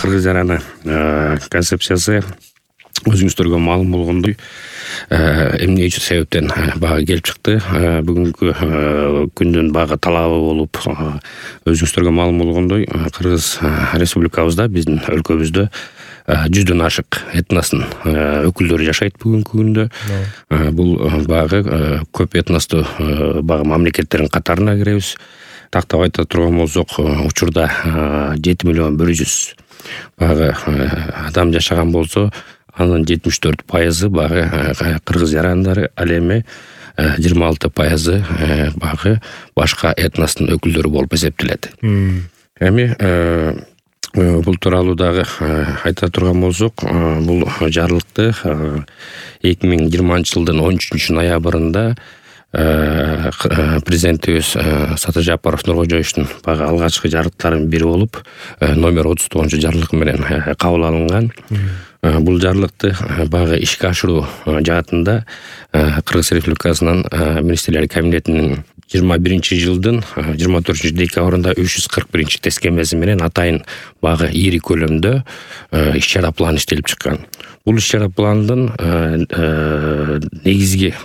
кыргыз жараны концепциясы өзүңүздөргө маалым болгондой эмне үчүн себептен бага келип чыкты. Бүгүнкү күндүн бага талабы болуп өзүңүздөргө маалым болгондой Кыргыз республикабызда биздин өлкөбүздө 100дөн ашык этностун өкүлдөрү жашайт бүгүнкү күндө. Бул багы көп этностуу бага мамлекеттердин катарына киребиз. Тактап айта турган болсок, учурда 7.100.000 багы адам жашаган болсо, анын 74% багы кыргыз жарандары, ал эми 26% багы башка этностун өкүлдөрү болуп эсептелет. Эми бул тууралуу дагы айта турган болсок, бул жарлыкты 2020-жылдын 13-ноябрында президентибиз Сатыр Жапаров Нуркожоевичтин багы алгачкы жарлыктарынын бири болуп, номер 39 жарлык менен кабыл алынган. Бул жарлыкты багы ишке ашыруу жаатында Кыргыз Республикасынын министрлер кабинетинин 21-жылдын 24-декабрында 341 тескемеси менен атайын багы ири көлөмдө иш-чара план иштелип чыккан. Бул иш-чара пландын негизги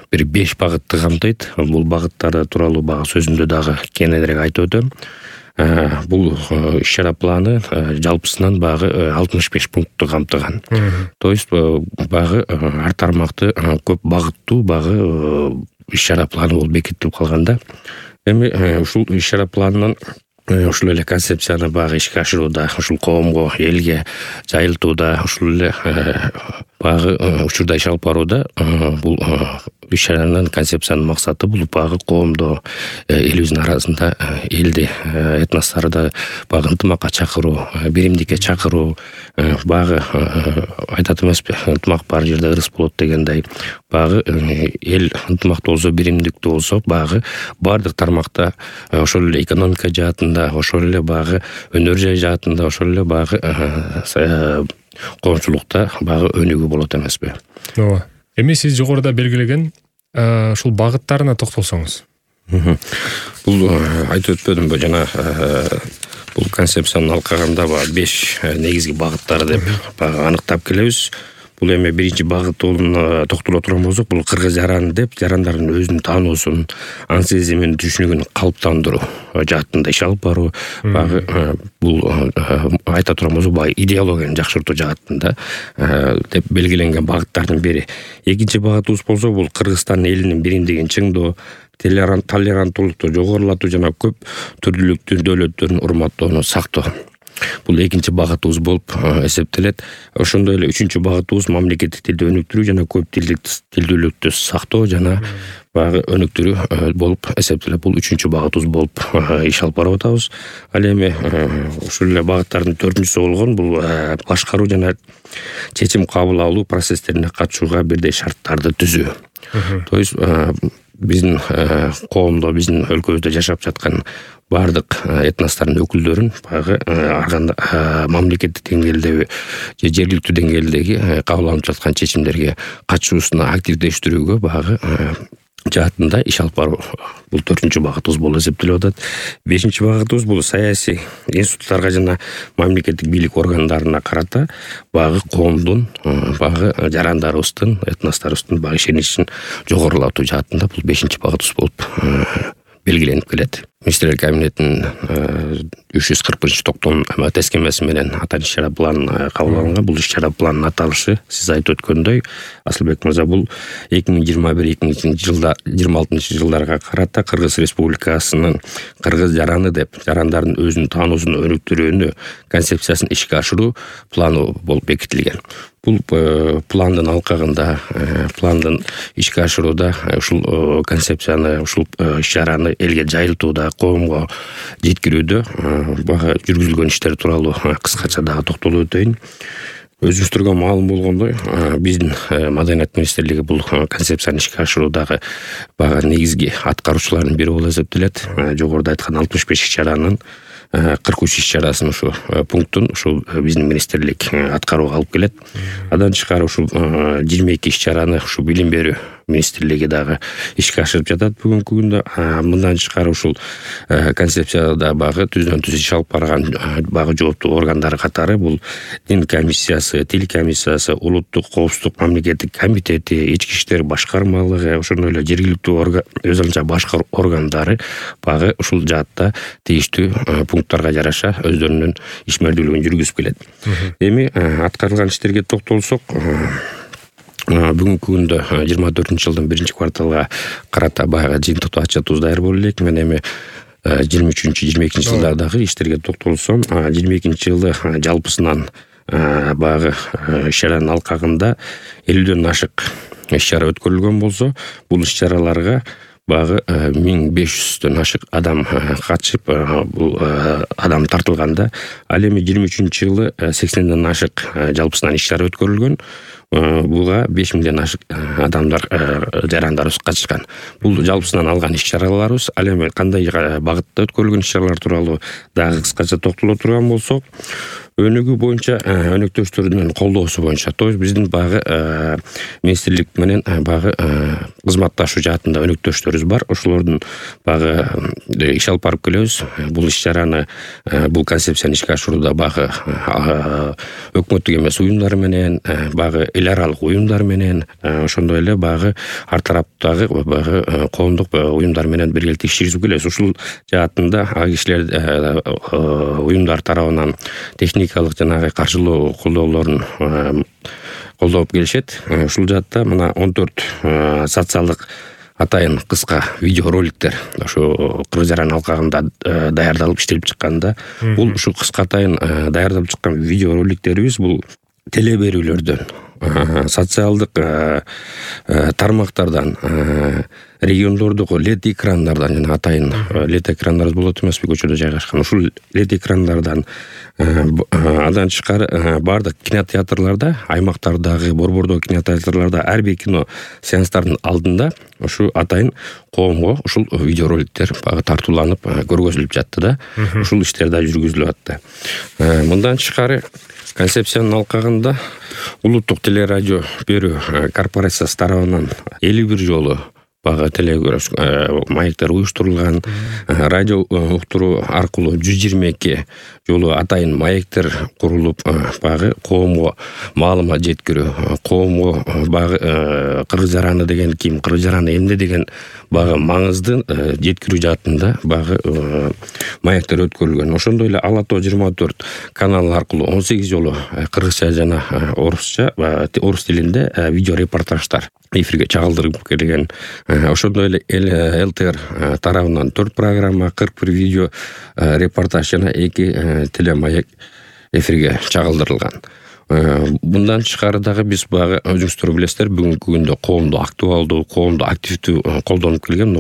бир 5 багытты камтыйт. Бул багыттар тууралуу багы сөзүмдө дагы кененирээк айтып өтөм. Бул иш-чара планы жалпысынан багы 65 пунктту камтыган. То есть багы ар тармакты көп багыттуу багы иш-чара планы болуп бекитилип калган да. Эми ушул иш-чара планынын ушул эле концепцияны багы ишке ашырууда, ушул коомго, элге жайылтууда, ушул эле багы учурда иш алып барууда бул иш-чаранын концепциянын максаты бул багы коомдо, элибиздин арасында элди, этносторду багы ынтымакка чакыруу, биримдикке чакыруу, багы айтат эмеспи, ынтымак бар жерде ырыс болот дегендей, багы эл ынтымактуу болсо, биримдиктүү болсо, багы баардык тармакта ошол эле экономика жаатында, ошол эле багы өнөр жай жаатында, ошол эле багы коомчулукта багы өнүгүү болот эмеспи. Ооба. Эми сиз жогоруда белгилеген ушул багыттарына токтолсоңуз. Бул айтып өтпөдүмбү жана бул концепцияны алкаганда 5 негизги багыттар деп аныктап келебиз. Бул эми биринчи багытына токтоло турган болсок, бул кыргыз жараны деп жарандардын өзүн таануусун, ан сезимин, түшүнүгүн калыптандыруу жаатында иш алып баруу. Багы бул айта турган болсок, багы идеологияны жакшыртуу жаатында деп белгиленген багыттардын бири. Экинчи багытыбыз болсо, бул Кыргызстан элинин биримдигин чыңдоо, толеранттуулукту жогорулатуу жана көп түрдүүлүктүү дөөлөттөрүн урматтоону сактоо. Бул экинчи багытыбыз болуп эсептелет. Ошондой эле үчүнчү багытыбыз мамлекеттик тилди өнүктүрүү жана көп тилдүүлүктү сактоо жана багы өнүктүрүү болуп эсептелет. Бул үчүнчү багытыбыз болуп иш алып барып атабыз. Ал эми ушул эле багыттардын 4-сү болгон бул башкаруу жана чечим кабыл алуу процесстерине катышууга бирдей шарттарды түзүү. То есть биздин коомдо, биздин өлкөбүздө жашап жаткан баардык этностордун өкүлдөрүн багы мамлекеттик деңгээлдеги же жергиликтүү деңгээлдеги кабыл алынып жаткан чечимдерге катышуусуна активдештирүүгө багы жаатында иш алып баруу. Бул 4-чү багытыбыз болуп эсептелип атат. 5-чи багытыбыз бул саясий институттарга жана мамлекеттик бийлик органдарына карата багы коомдун, багы жарандарыбыздын, этносторубуздун багы ишеничин жогорулатуу жаатында бул 5-чи багытыбыз болуп белгиленип келет. Министрлер кабинетинин 341 токтом тескемеси менен аталган иш-чара план кабыл алынган. Бул иш-чара пландын аталышы сиз айтып өткөндөй, Асылбек мырза, бул 2021-2026 жылдарга карата Кыргыз Республикасынын кыргыз жараны деп жарандардын өзүнүн таануусун өнүктүрүүнү концепциясын ишке ашыруу планы болуп бекитилген. Бул пландын алкагында, пландын ишке ашырууда ушул концепцияны, ушул иш-чараны элге жайылтууда, коомго жеткирүүдө багы жүргүзүлгөн иштер тууралуу кыскача дагы токтолуп өтөйүн. Өзүңүздөргө маалым болгондой, биздин Маданият министрлиги бул концепцияны ишке ашыруудагы багы негизги аткаруучулардын бири болуп эсептелет. Жогоруда айткан 65 иш-чаранын 43 иш-чарасын ушу пунктун ушу биздин министрлик аткарууга алып келет. Андан тышкары ушу 22 иш-чараны ушу билим берүү министрлиги дагы ишке ашырып жатат бүгүнкү күндө. Мындан тышкары ушул концепцияда багы түздөн түз иш алып барган багы жооптуу органдар катары бул дин комиссиясы, тил комиссиясы, улуттук коопсуздук мамлекеттик комитети, ички иштер башкармалыгы, ошондой эле жергиликтүү өз алынча башкар органдары багы ушул жаатта тийиштүү пункттарга жараша өздөрүнүн ишмердүүлүгүн жүргүзүп келет. Эми аткарылган иштерге токтолсок, бүгүнкү күндө 24-жылдын 1-кварталга карата баягы жыйынтыктуу отчетубуз даяр болуп элек. Мен эми 23-22 жылдардагы иштерге токтолсом, 22-жылы жалпысынан баягы иш-чаранын алкагында 50дөн ашык иш-чара өткөрүлгөн болсо, бул иш-чараларга багы 1500дөн ашык адам катышып, бул адам тартылганда, ал эми 23-жылы 80ден ашык жалпысынан иш-чара өткөрүлгөн. Буга 5000ден ашык адамдар жарандарыбыз катышкан. Бул жалпысынан алган иш-чараларыбыз. Ал эми кандай багытта өткөрүлгөн иш-чаралар тууралуу дагы кыскача токтоло турган болсок, өнүгүү боюнча өнөктөштөрдүн колдоосу боюнча, то есть биздин багы министрлик менен багы кызматташуу жаатында өнөктөштөрүбүз бар. Ошолордун багы иш алып барып келебиз. Бул иш-чараны, бул концепцияны ишке ашырууда багы өкмөттүк эмес уюмдар менен, багы эл аралык уюмдар менен, ошондой эле багы ар тараптагы багы коомдук уюмдар менен биргеликте иш жүргүзүп келебиз. Ушул жаатында аг кишилер уюмдар тарабынан техникалык жанагы каржылоо колдоолорун колдоп келишет. Ушул жаатта мына 14 социалдык атайын кыска видеороликтер ошо Кыргыз-Жаран алкагында даярдалып иштелип чыкканда, бул ушу кыска атайын даярдалып чыккан видеороликтерибиз бул теле берүүлөрдөн, социалдык тармактардан, региондордогу лед экрандардан, жана атайын лед экрандарыбыз болот эмеспи, көчөдө жайгашкан ушул лед экрандардан, андан тышкары бардык кинотеатрларда, аймактардагы, борбордогу кинотеатрларда ар бир кино сеанстардын алдында ушу атайын коомго ушул видеороликтер багы тартууланып көргөзүлүп жатты да. Ушул иштер да жүргүзүлүп атты. Мындан тышкары концепциянын алкагында улуттук телерадио берүү корпорациясы тарабынан 51 жолу багы телекөрөш маектер уюштурулган, радио уктуруу аркылуу 122 жолу атайын маектер курулуп, багы коомго маалымат жеткирүү, коомго багы Кыргыз-Жараны деген ким, Кыргыз-Жараны эмне деген багы маңызды жеткирүү жаатында багы маектер өткөрүлгөн. Ошондой эле Ала Тоо 24 каналы аркылуу 18 жолу кыргызча жана орус тилинде видео репортаждар эфирге чагылдырып келген. Ошондой эле ЛТР тарабынан 4 программа, 41 видео репортаж жана 2 телемаек эфирге чагылдырылган. Мындан тышкары дагы биз багы өзүңүздөр билесиздер, бүгүнкү күндө коомдо актуалдуу, коомдо активдүү колдонуп келген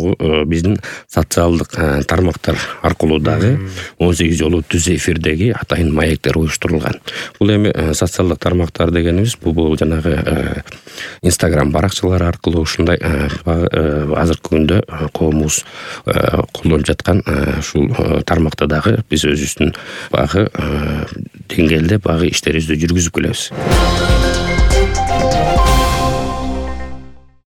биздин социалдык тармактар аркылуу дагы 18 жолу түз эфирдеги атайын маектер уюштурулган. Бул эми социалдык тармактар дегенибиз бул жанагы Instagram баракчалары аркылуу ушундай азыркы күндө коомубуз колдонуп жаткан ушул тармакта дагы биз өзүбүздүн багы деңгээлде багы иштерибизди жүргүзүп келебиз.